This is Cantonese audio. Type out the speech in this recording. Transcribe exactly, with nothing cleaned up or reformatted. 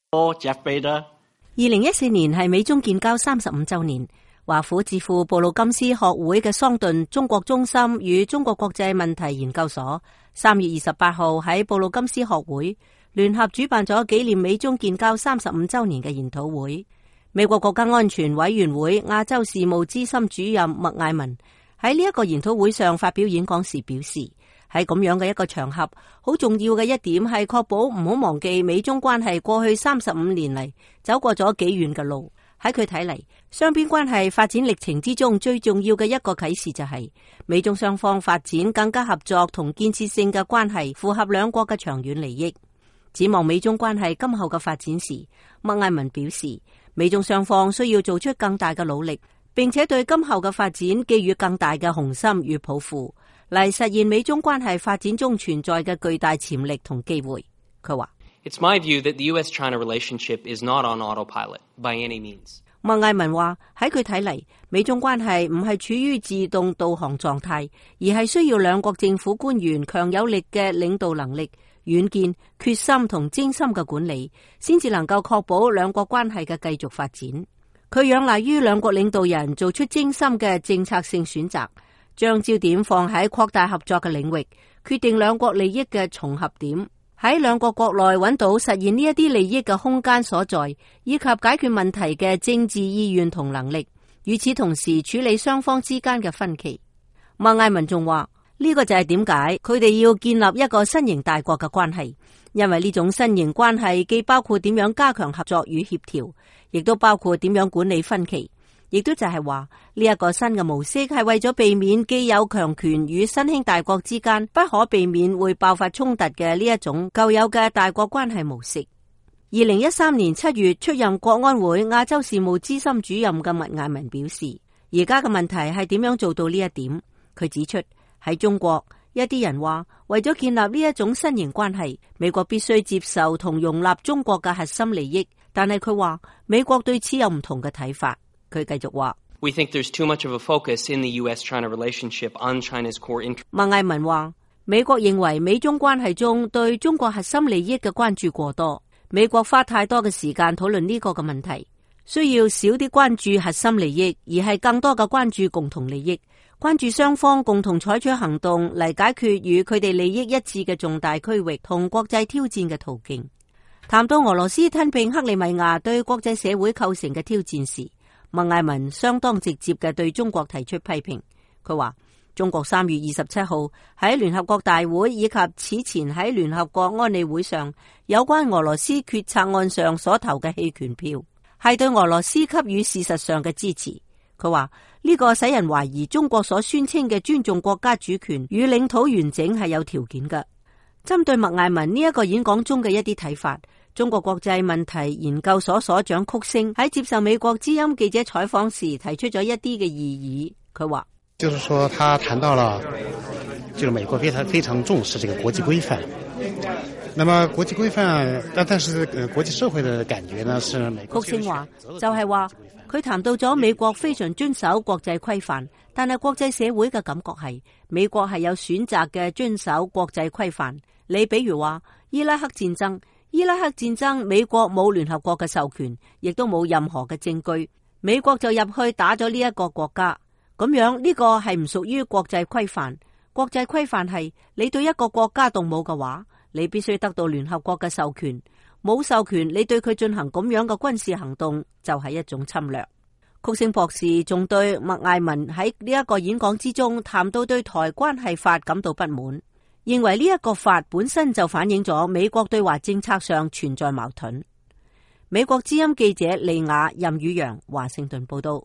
二零一四年係美中建交三十五周年，華府智庫布魯金斯學會嘅桑頓中國中心與中國國際問題研究所三月二十八號喺布魯金斯學會聯合主辦咗紀念美中建交三十五周年嘅研討會。美國國家安全委員會亞洲事務資深主任麥艾文喺呢一個研討會上發表演講時表示，喺咁樣嘅一個場合，好重要嘅一點係確保唔好忘記美中關係過去三十五年嚟走過咗幾遠嘅路。喺佢睇嚟，雙邊關係發展歷程之中最重要嘅一個啟示就係、是、美中雙方發展更加合作同建設性嘅關係，符合兩國嘅長遠利益。展望美中關係今後嘅發展時，麥艾文表示，美中雙方需要做出更大嘅努力，並且對今後嘅發展寄予更大嘅雄心與抱負，嚟實現美中關係發展中存在嘅巨大潛力同機會。佢話：It's my view that the U S China relationship is not on autopilot by any means. 麥艾文話喺佢睇嚟，美中關係唔係處於自動導航狀態，而係需要兩國政府官員強有力嘅領導能力、遠見、決心同精心嘅管理，先至能夠確保兩國關係嘅繼續發展。佢仰賴於兩國領導人做出精心嘅政策性選擇，將焦點放喺擴大合作嘅領域，決定兩國利益嘅重合點，喺兩國國內揾到實現呢一啲利益嘅空間所在，以及解決問題嘅政治意願同能力。與此同時，處理雙方之間嘅分歧。麥艾文仲話，呢個就係點解佢哋要建立一個新型大國嘅關係，因為呢種新型關係既包括點樣加強合作與協調，亦都包括點樣管理分歧。亦都就係話呢一個新嘅模式係為咗避免既有強權與新興大國之間不可避免會爆發衝突嘅呢一種舊有嘅大國關係模式。二零一三年七月出任國安會亞洲事務資深主任嘅麥艾文表示，而家嘅問題係點樣做到呢一點。佢指出，喺中國一啲人話為咗建立呢一種新型關係，美國必須接受同容納中國嘅核心利益，但係佢話美國對此有唔同嘅睇法。佢繼續話， We think there's too much of a focus in the U S China relationship on China's core interests. 麥艾文話，美國認為美中關係中對中國核心利益嘅關注過多，美國花太多嘅時間討論呢個嘅問題，需要少啲關注核心利益，而係更多嘅關注共同利益，關注雙方共同採取行動嚟解決與佢哋利益一致嘅重大區域同國際挑戰嘅途徑。談到俄羅斯吞併克里米亞對國際社會構成嘅挑戰時，麥艾文相當直接嘅對中國提出批評。佢話中國三月二十七號喺聯合國大會以及此前喺聯合國安理會上有關俄羅斯決策案上所投嘅棄權票，係對俄羅斯給予事實上嘅支持。佢話呢個使人懷疑中國所宣稱嘅尊重國家主權與領土完整係有條件嘅。針對麥艾文呢一個演講中嘅一啲睇法，中國國際問題研究所所長曲星喺接受美國之音記者採訪時提出咗一啲嘅異議。佢話，就是說他談到了，就是美國非常非常重視這個國際規範。那麼國際規範，但但是國際社會的感覺呢，是美國。曲星話就係話佢談到咗美國非常遵守國際規範，但係國際社會嘅感覺係美國係有選擇嘅遵守國際規範。你比如話伊拉克戰爭。伊拉克戰爭，美國冇聯合國嘅授權，亦都冇任何嘅證據，美國就入去打咗呢一個國家，咁樣呢個係唔屬於國際規範。國際規範係你對一個國家動武嘅話，你必須得到聯合國嘅授權，冇授權你對佢進行咁樣嘅軍事行動就係一種侵略。曲星博士仲對麥艾文喺呢一個演講之中談到對台關係法感到不滿，認為呢一個法本身就反映咗美國對華政策上存在矛盾。美國之音記者利亞任宇陽華盛頓報道。